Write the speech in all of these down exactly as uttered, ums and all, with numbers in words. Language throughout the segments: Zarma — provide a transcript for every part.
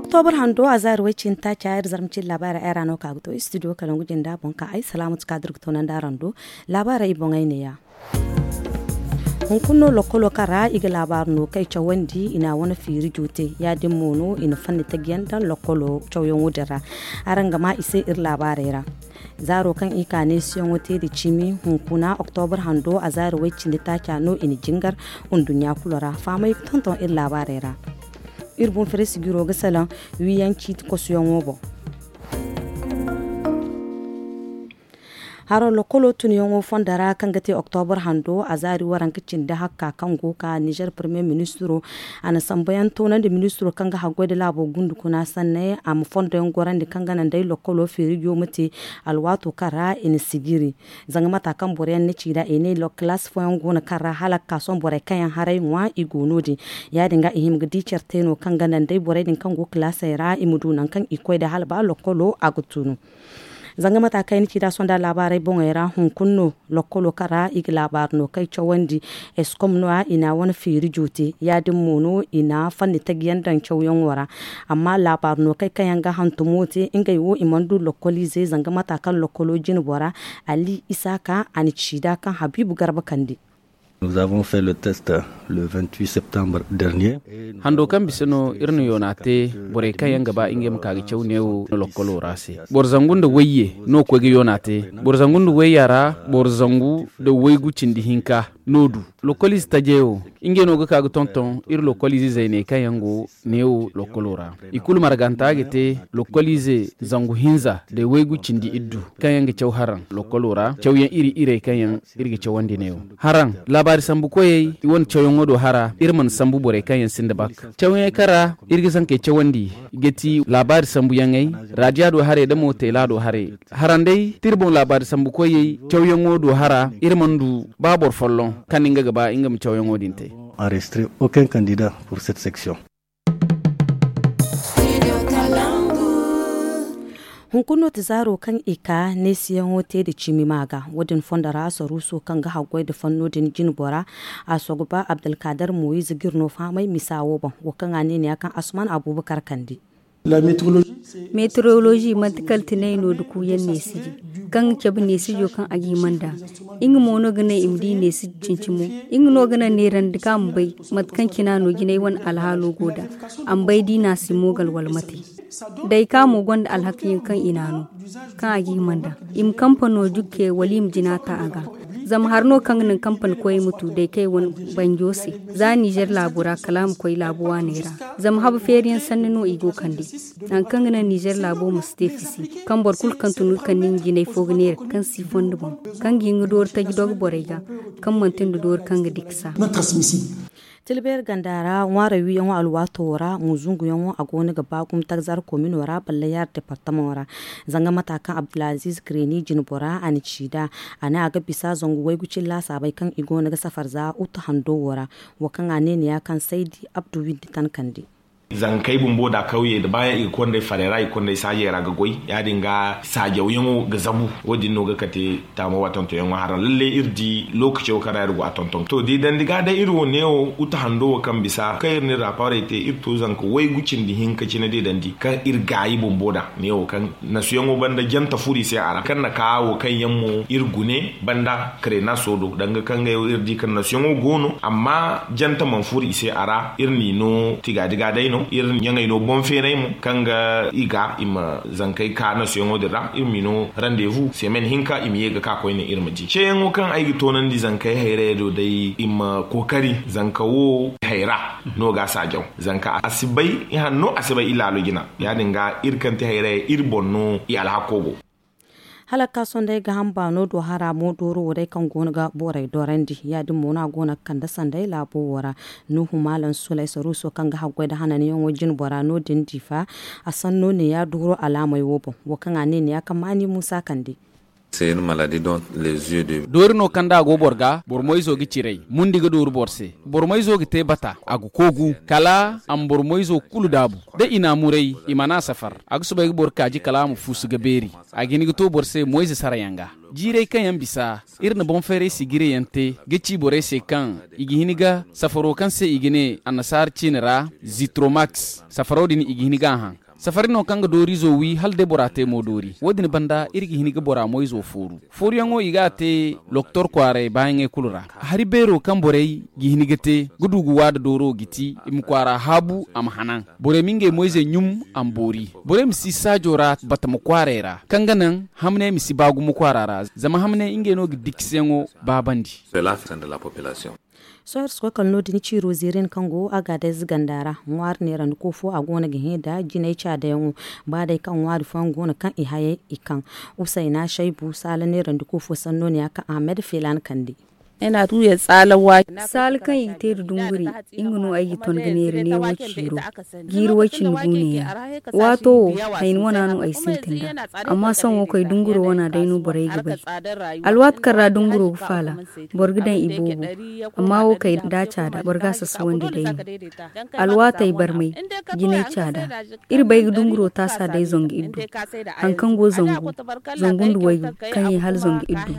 Oktobur hando a zaari way cindi taaca iri zarma cindi laabaarey ay ra no ka ga to istidiyo kalangu jinda boŋ ka ay salaamatu ka dira ga toonandi araŋ do. Laabaarey i boŋey neeya. Hunkuna no lokkolo kaŋ ra i ga laabaari no kay cawandi i na a wane fiiri joote. Ya- din mo no i na fanni taji yaŋ daŋ lokkolo cawyaŋo din ra. Araŋ ga ma i se iri laabaarey ra. Zaaro kaŋ i ka neesiyaŋo te nda cimi hunkuna oktobur hando a zaari way cindi taaca no i na jingar. Nduɲɲa kulu ra fahamay ga tonton iri laabaarey ra. Iri boŋ fere sijiro ga salaŋ wiyaŋ ciiti kosuyaŋo boŋ. Haro lokkolo tunyaŋo fondo ra kaŋ ga te oktobur hando a zaari waranka cindi hakka kaŋ go ka nizer premier ministiro a na sambu yaŋ toonandi ministiro kaŋ ga haggoy nda laabo gundu kuna sanney a ma fondo yaŋ gorandi kaŋ ga naŋ day lokkolo feerijo ma te. Alwaato kaŋ ra i na sijiri zanga mata kaŋ boro yaŋ na ci nd'a i ne kilaasi fooyaŋ go no kaŋ ra hala ga ka sohõ borey kaŋ yaŋ haray ŋwa i go no- din. Ya- din ga i hima ga di care te no kaŋ ga naŋ day borey din kaŋ go kilaasey ra i ma du nangu kaŋ i koy day hala ba lokkolo a ga tunu. Zanga mata kaŋ ay na ci nd'a sohõ nd'a laabaarey boŋey ra hunkuna no lokkolo kaŋ ra i ga laabaari no kaŋ ay cawandi. Eskom no- ya i na a wane feeri joote ya- din mo no i na fanni taji yaŋ daŋ cawyaŋo ra. Amma laabaari no kaŋ ay kaŋ yaŋ ga hantumo te ngey wo i mana du lokkoliizey zanga mata kaŋ lokkolo jine bora ali isaaka a na ci nd'a kaŋ habiibu garba kande. Hando kaŋ bisa no iri na yoona te borey kaŋ yaŋ ga ba ngey ma ka ga caw neewo lokkolo ra se. Boro zangu nda wayye no koy ga yoona te. Boro zangu nda wayya ra boro zangu nda waygu cindi hinka no du. Lokkoliize tajeyo ngey no ga ka ga tonton iri lokkoliize zayney kaŋ yaŋ go neewo lokkolo ra. I kulu marganta ga te lokkoliize zangu hinza nda waygu cindi iddu kaŋ yaŋ ga caw haraŋ lokkolo ra cawyaŋ iri-irey kaŋ yaŋ iri ga cawandi neewo. Haraŋ laabaari sambu koyey i wane cawyaŋo do hara iri mana sambu borey kaŋ yaŋ sinda bak. Cawyaŋey kaŋ ra iri ga zankey cawandi ga ti laabaari sambuyaŋey, raadiya do haray nda mo teela do haray. Haraŋ day tira boŋ laabaari sambu koyey cawyaŋo do hara iri mana du ba boro folloŋ kaŋ ni nga ga ba nga ma cawyaŋo din te. Enregistré aucun candidat pour cette section. Hunkuna no ti zaaro kaŋ i ka neesiyaŋo te nda cimi ma ga wo- din fondo ra saruuso kaŋ ga haggoy nda fanno din jine bora. A soogu ba abdulkaadar moyiz ga iri no fahamay misa wo boŋ wo kaŋ a ne neeya kaŋ asuman abuubakar kande. Meteorolozi manti kala tinay no nda kuuyaŋ neesiji kaŋ ga cabe neesijo kaŋ a ga hima nd'a. Nga mo no ga naŋ i ma di neesiji cincimo. Nga no ga naŋ neerandi kaŋ a ma bay mate kaŋ cina no jinay wane alhaalo go nd'a. A ma bay da i na a si moogal wala mate. Day kaŋ a mo gonda alhakayaŋ kaŋ i na a no kaŋ a ga hima nd'a. I ma kampano jukke wala i ma jina ta a ga. Zama hari no kaŋ ga naŋ kampani koyey ma tu day kay wane banjo se. Za nizer laabo ra kala a ma koy laabu waaney ra. Zama habu feeriyaŋ sanni no i go kande. Nangu kaŋ ga naŋ nizer laabo ma si te fisi kaŋ boro kulu kaŋ tun ga kande nga jinay fo ga neera kaŋ si fondo boŋ kaŋ ga hin ga doori taji dogo borey ga kaŋ manti nda doori kaŋ ga dikasa. Tilbeeri ganda ra ŋwaaray wiyaŋo alwaato ra mo zunguyaŋo a go no ga ba gumo tagzar komino ra ballayaari departamaŋo ra. Zanga mata kaŋ abdulaziz kreni jine bora a na ci nd'a. A ne a ga bisa zangu waygu cine laasaabey kaŋ i go no ga safar za utu hando wo ra. Wo kaŋ a ne neeya kaŋ saydi abdu windi tankandi. Zankey bumbo da kawyey da baayaŋ i ga konday farey ra i ga konday saajey ra ga goy ya- din ga saajawyaŋo ga zabu. Wo- din no ga kate taamo wa tontonyaŋo haraŋ lalle iri di lookaco kaŋ ra iri go a tonton to di dandi ga day iri wo neewo uta hando wo kaŋ bisa kaŋ iri na iri rapaarey te iri to zanka waygu cindi hinka cine di dandi kaŋ iri gaayi bumbo da neewo kaŋ nasuyaŋo banda janta furo i se a ra kaŋ na ka wo kaŋ yaŋ mo iri gune banda krenaso do danga kaŋ ga iri di kaŋ nasuyaŋo go no amma janta mana furo i se a ra iri n'i no tigaadiga day no iri ɲaŋey no boŋ feeray mo kaŋ ga i ga i ma zankey ka nasuyaŋo din ra iri m'i no randevu semen hinka i ma ye ga ka koyne iri ma di ceeyaŋo kaŋ ay ga toonandi zankey hayrayey do day i ma kookari zanka wo hayra no ga a saajaw zanka a si bay i hanno a si bay i laalo jina ya- din ga iri kaŋ ti hayrayey iri boŋ no i alhako go. Hala ga ka sohõ day gaaham baano do hara mo dooro wo day kaŋ go no ga borey dorandi ya- din mo no a go no ga kande sanday laabo wo ra. Nuhu maalam sulay saruuso kaŋ ga haggoy nda hananyaŋo jine bora no- din diifa. A sanno neeya dooro alaamey wo boŋ wo kaŋ a ne neeya kaŋ maani muusa kande. Doori no kaŋ da a go boro ga boro moyzo ga ciray mundi ga dooru boro se. Boro moyzo ga te bata a ga koogu kala a ma boro moyzo kulu daabu. Da i n'a muray i mana a safar a ga soobay ga boro kaaji kala a ma fuusu ga beeri. A ga hin ga to boro se moyze sarayaŋ ga. Jiirey kaŋ yaŋ bisa iri na boŋ-feeray sijirey yaŋ te ga ci borey se kaŋ i ga hin ga safaro kaŋ se i ga ne annasaara ciine ra zitromax, safaro din i ga hin ga a haŋ. Safari no kaŋ ga dooriizo wi hala day bora te mo doori. Wo-din banda iri ga hin ga bora moyzo fooru. Fooruyaŋo i ga a te loktor kwaaray baayaŋey kulu ra. Hari beero kaŋ borey ga hin ga te ga du ga waada dooro ga ti i ma kwaara haabu a ma hanan. Borey ma ngey moyzey ɲum a ma boori. Borey ma si saajo ra batama kwaaray ra kaŋ ga naŋ hamney ma si ba gumo kwaara ra, zama hamney ngey no ga dikisiyaŋo baabandi. Sohõ iri si koy kala no-din ciiro zeerin kaŋ go a ga adayze ganda ra. Ŋwaari neerandi ko fo a go no ga hẽ da jinay caadayaŋo. Ba day kaŋ ŋwaari fooyaŋ go no kaŋ i hayey i kaŋ. Usayna shaybu saala neerandi ko fo sanno ne ya kaŋ ahmed feelaani kande. Saala kaŋ i ga te nda dunguri, nga no ay ga ton ga neera neewo ciiro. Jiiri way cindi gu neeya. Waato wo, hayni wana no ay sintin nd'a. Amma sohõ wo kay dunguro wana day no borey ga bay. Alwaati kaŋ ra dunguro ga faala, boro ga daŋ i boobo. Amma wo kay da a caada boro ga a sasawandi day no. Alwaatey barmay, jinay caada. Iri bay ga dunguro taasa day zangu iddu. Haŋ kaŋ go zangu, zangu nda waygu kaŋ ye hala zangu iddu.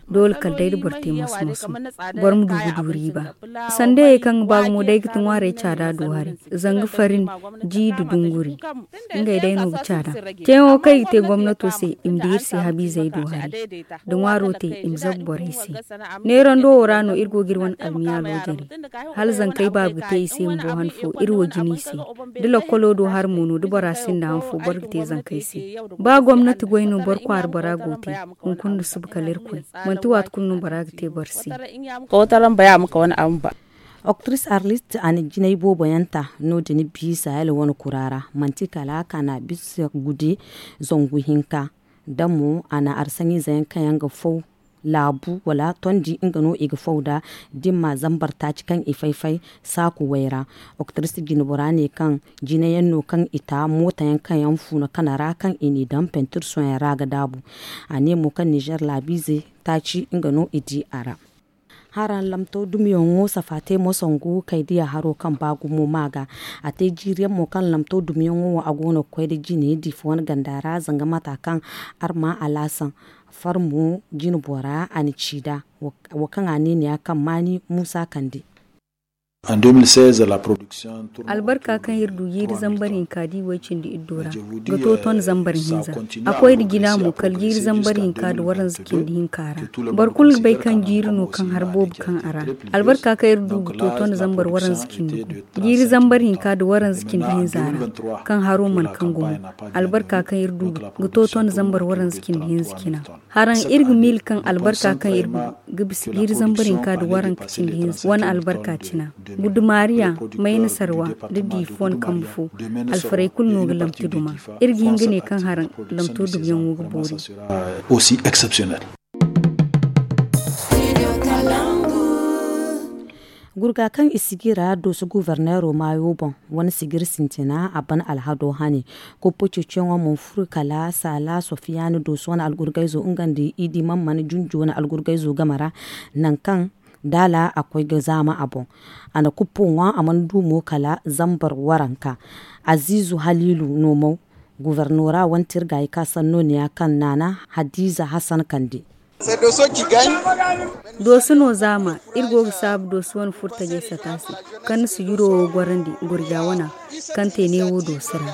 Doole kala day da boro te moso-moso, boro ma du ga du riiba. Sandayey kaŋ ga ba gumo day ga ti ŋwaarey caada do hari, zanga farin, ji nda dunguri. Ngey day no ga caada. Ceeyaŋo kaŋ i ga te gomnato se i ma di iri se habiizey do hari. Da ŋwaaro te i ma zabu borey se. Neerando wo ra no iri go ga iri wane almiyaalo jare. Hala zankey baabu ga te i se bumbo han fo iri wo jina i se. Da lakkolo do hari mo no da bora sinda han fo boro ga te zankey se. Ba gomnati goy no boro kwaara bora go te. Hunkuna nda suba kala irkoy, manti waati kulu no bora ga te boro se. Oktris arlist a na jinay boobo yaŋ ta no- din bi sahel wane kura ra. Manti kala kana bisa gude zangu hinka. Da mo a na arsaŋize yaŋ kaŋ yaŋ ga faw laabu wala tondi nga no i ga faw da dimma zambar taaci kaŋ i fay-fay saaku way ra. Oktris jinbora ne kaŋ jinayaŋ no kaŋ i ta mootayaŋ kaŋ yaŋ fuuna kana ra kaŋ i n'i daŋ pentir soyaŋ ra ga daabu. A ne mo kaŋ nizer laabiize taaci nga no i di a ra. Haraŋ lamto dumiyaŋo safaate mo sangu kay diya haro kaŋ ba gumo ma ga. A te jiiriyaŋ mo kaŋ lamto dumiyaŋo wo a go no ga koy da jine diifa wane ganda ra zanga mata kaŋ arma alaasan farmo jine bora a na ci da. Wo kaŋ a ne ni ya kaŋ maani muusa kande. Albarka kaŋ iri du jiiri zambar hinka da i way cindi iddo ra ga to ton zambar hinza. A koy nda jina mo kala jiiri zambar hinka nda waranza cindi hinka ra. Boro kulu ga bay kaŋ jiiri no kaŋ har boobo kaŋ a ra. Albarka kaŋ iri du ga to ton zambar waranza cindi gu jiiri zambar hinka nda waranza cindi hinza ra, kaŋ haro mana kaŋ gumo. Albarka kaŋ iri du ga to ton zambar waranza cindi hinza cina. Haraŋ iri ga miila kaŋ albarka kaŋ iri ga bisa jiiri zambar hinka nda waranka cindi hinza wane albarka cina. Gudumariya, mayna sarwa nda diifa wane kambe fo. Alfarey kulu no ga lamti duma. Iri ga hin ga ne kaŋ haraŋ lamto dumyaŋo ga boori. Gurga kaŋ i sijira dooso guverneero maayo boŋ, wane sijir sintina a ban alhado hane. Koppo ceeciyaŋo mana furo kala saala sofiyaani dooso wane algurgayzo nga nda i di man mana junju wane algurgayzo game ra. Nangu kaŋ daala a koy ga zaama a boŋ, a na kuppo ŋwa a mana du mo kala zambar waranka. Aziizu haliilu no mo guvernoora wane tirgaayi ka sanno ne ya kaŋ naana hadiiza hasan kande. Dooso no zaama iri go ga saabu dooso wane furtajey sata se, kaŋ na sijiro wo gorandi gurja wana kaŋ te neewo dooso ra.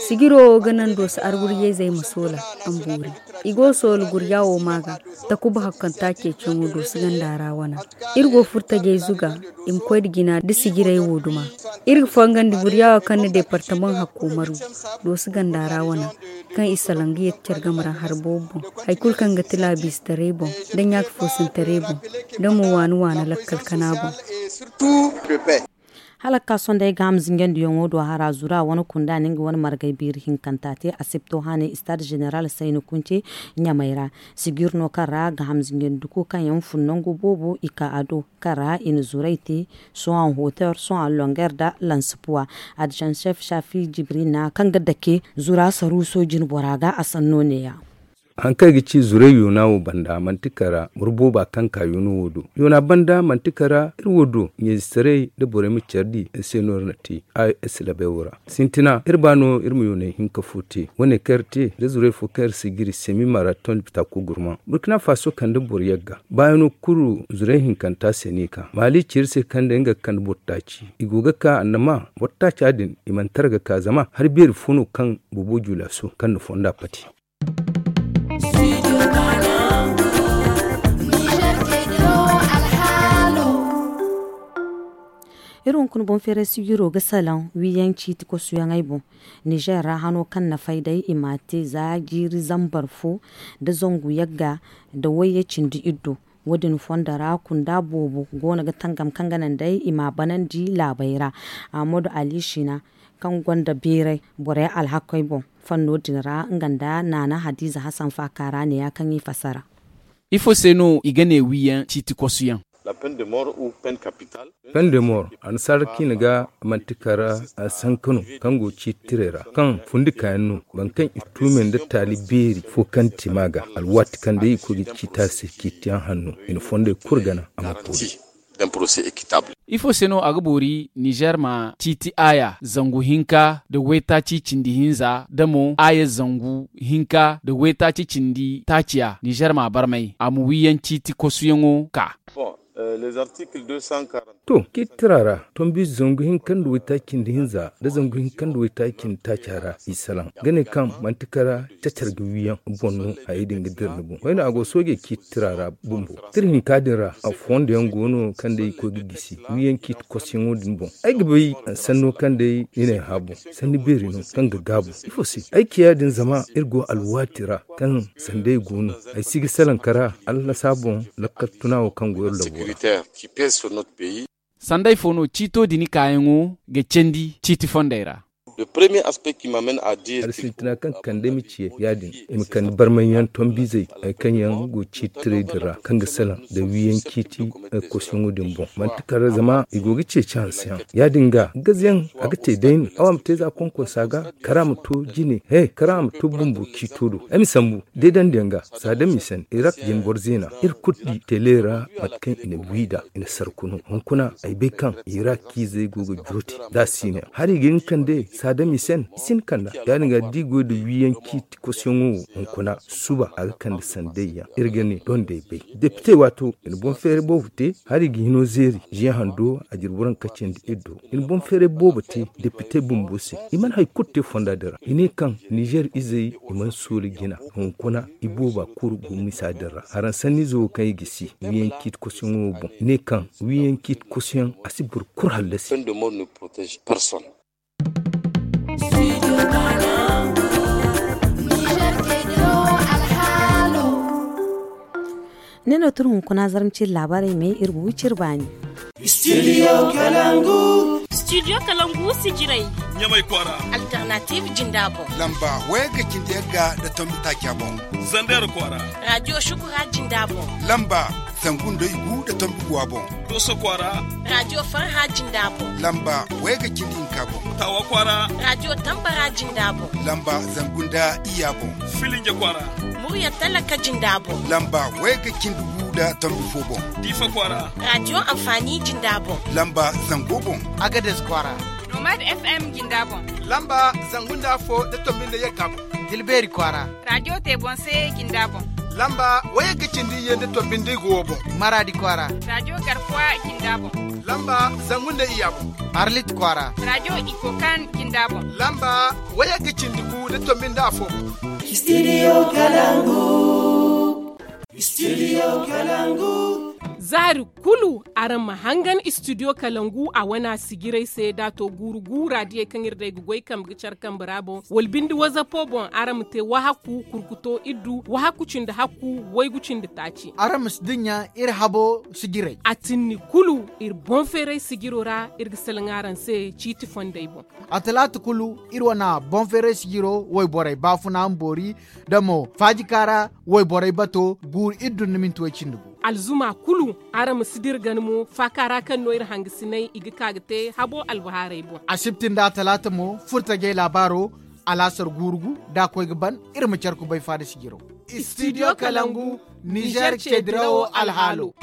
Sijiro wo ga naŋ dooso argurjayzey ma soola a ma boori. I go ga soola gurja wo ma ga takuba hakkanta ceeciyaŋo dooso ganda ra wana. Iri go furtajey zuga i ma koy nda jina nda sijirey wo duma. Iri ga fangandi gurja wo kaŋ na departamaŋ hakko maru dooso ganda ra wana, kaŋ i salaŋ ga yeti care game ra hari boobo boŋ. Hari kulu kaŋ ga ti laabiize taray boŋ, da ɲaaka foosintaray boŋ, da mo waani waana lakkal kana boŋ. Hala ga ka sohõ day gaaham zinjandiyaŋo do hara zura wane kunda na nga wane margay biiri hinkanta te asipto hane stade général sayni kunce ɲamay ra. Sijir no kaŋ ra gaaham zinjandiko kaŋ yaŋ fun nangu boobo i ka a do, kaŋ ra i na zuray te sohõ hoter sohõ longuer da lansipuwa. Adjoint chef shafi jibrina kaŋ ga dake zura saruuso jinbora ga a sanno neeya. Hari kaŋ i ga ci zuray yoona wo banda manti kara boro booba kaŋ ka yoona wo do. Yoona banda manti kara iri wo do ɲeezitaray nda borey ma care di iri se no iri na te. Ay silabay wo ra sintina iri ba no iri ma yoonay hinka fo te wane kaŋ iri te da zuray fo kaŋ iri si giri semi maraton bitako gurma burkina faso kande boro yagga baayano kulu zuray hinkanta se no i ka maali ci iri se kaŋ day nga ga kande boro taaci i go ga ka annama boro taaca din i mana tara ga ka zama hari beeri fo no kaŋ boobo juula so kaŋ na fonda pati. Iri hunkuna boŋ feeray sijiro ga salaŋ wiiyaŋ ciiti kosuyaŋey boŋ. Nizer ra hano kaŋ na fay day i m'a te za jiiri zambar fo nda zangu yagga nda wayye cindi iddo. Wo- din fondo ra kunda boobo go no ga tangam kaŋ ga naŋ day i m'a banandi laabey ra. Ahmadu ali sina kaŋ gonda beeray borey alhakey boŋ fanno din ra nga nda naana hadiza hasan faaka ra neeya kaŋ i fassara. Ifo se no i ga ne wiiyaŋ ciiti kosuyaŋ? Pen de mor annasaara kaŋ i na ga manti kara sanka no kaŋ go ciiti tirey ra kaŋ fundi kaayaŋ no boro kaŋ i tuumey nda taali beeri fo kaŋ ti ma ga alwaati kaŋ day i koy ga ciita se ciitiyaŋ hanno i na fondey kulu gana a ma boori. Ifo se no a ga boori nizer ma ciiti aaya zangu hinka nda waytaaci cindi hinza nda mo aaya zangu hinka nda waytaaci cindi taaciya nizer ma barmay a ma wiiyaŋ ciiti kosuyaŋo ka. To ciiti tira ra tombi zangu hinka nda waytaaci cindi hinza nda zangu hinka nda waytaaci cindi taaciya ra i salaŋ ga ne kaŋ manti kara cacar ga wiiyaŋ boŋ no hayey din ga dira ni boŋ wayne a go soojey ciiti tira ra bumbo tira hinka din ra a fondo yaŋ go no kaŋ day i koy ga gisi wiiyaŋ ciiti kosoyaŋo din boŋ ay ga bay sanno kaŋ day i ne haabu sanni beeri no kaŋ ga gaabu ifo se ay ci ya- din zama iri go alwaati ra kaŋ sanday go no ay si ga salaŋ kara allasaa boŋ lakkal tuna wo kaŋ go iri labo ra. Sanday fo no ciito din kaayaŋo ga candi ciiti fondey ra? Hari sintina kaŋ kande ay ma ciye ya- din i ma kande barmay yaŋ tombizey hari kaŋ yaŋ go ciiti tirey din ra kaŋ ga salaŋ nda wiiyaŋ ciiti kosoyaŋo din boŋ manti kala zama i go ga ceeci hanse yaŋ ya- din ga gazayaŋ a ga te day no awa ma te za konkonsa ga kara ma to jine he kara ma to bumbo ciito do ay ma sambu deedandiyaŋ ga saada misan irak jine boro zeena iri kulu di tele ra mate kaŋ i na wi nd'a i na sarku no hunkuna ay bay kaŋ irak ciizey go ga jooti za siine hari ga hin kande saada misan i si hin kanda ya- din ga da i goy nda wiiyaŋ ciiti kosoyaŋo wo hunkuna suba a ga kande sanday yaŋ iri ga ne doŋ day bay depite waato i na boŋ feeray boobo te hari ga hino zeeri ziyaŋ hando a jirbi raŋ kacindi iri do i na boŋ feeray boobo te depite bumbo se i mana hari kulu te fonda din ra i ne kaŋ nizer izey i mana sooli jina hunkuna i booba kuru go misa din ra haraŋ sanniize wo kaŋ i ga si wiiyaŋ ciiti kosoyaŋo wo boŋ i ne kaŋ wiiyaŋ ciiti kosoyaŋ a si boro kulu hallasi. Ne no tun hunkuna zarma ciri laabaarey me iri ga wi ciri baani. Studio kalangu. Studio kalangu sijirey. Ɲamay kwaara. Alternative jinda boŋ. Lamba waya ga cindi yagga da tombi taaca boŋ. Zander kwaara. Radio shukura jinda boŋ. Lamba zangu nda igu da tombi guwa boŋ. Doso kwaara. Radio farha jinda boŋ. Lamba waya ga cindi hinka boŋ. Tawa kwaara. Radio tambara jinda boŋ. Lamba zangu nda iya boŋ. Filinja kwaara. Murya talaka jinda boŋ. Lamba waya ga cindi gu da tombi fo boŋ. Diifa kwaara. Radio amfani jinda boŋ. Lamba zango boŋ. Agades kwaara. Nomad fm jinda boŋ. Lamba zangu nda fo da tombi nda yagga boŋ. Dilbeeri kwaara. Radio te boŋ se jinda boŋ. Lamba waya ga cindi iyye nda tombi nda igo wo boŋ. Maraadi kwaara. Radio garkuwa jinda boŋ. Lamba zangu nda iya boŋ. Arlit kwaara. Radio ikokan jinda boŋ. Lamba waya ga cindi gu da tombi nda afo boŋ. Studio kalangu. Studio kalangu. Zaari kulu araŋ ma hangan studio kalangu a wana sijirey se da to guuru guura diyey kaŋ iri day ga goy kambe ga care kambe ra boŋ wala bindi wazapo boŋ araŋ ma te wahaku kurkuto iddu wahaku cindi hakku waygu cindi taaci. Araŋ ma si dinya iri habo sijirey a tinni kulu iri boŋ feeray sijiro ra iri ga salaŋ araŋ se ciiti fondey boŋ. A talaata kulu iri wana boŋ feeray sijiro wayborey baafuna ma boori da mo faajika ra wayborey bato guuru iddu nda minti way cindi gu. Alzuma kulu araŋ ma si dira gana mo faaka ra kaŋ no iri hangasiney i ga ka ga te habo albahaarey boŋ. Asibti nda talaata mo furtajey laabaaro alaasar guuru gu da a koy ga ban iri ma care kubay faada sijiro. Studio Kalangu, Niger ce dirawo alhaalo.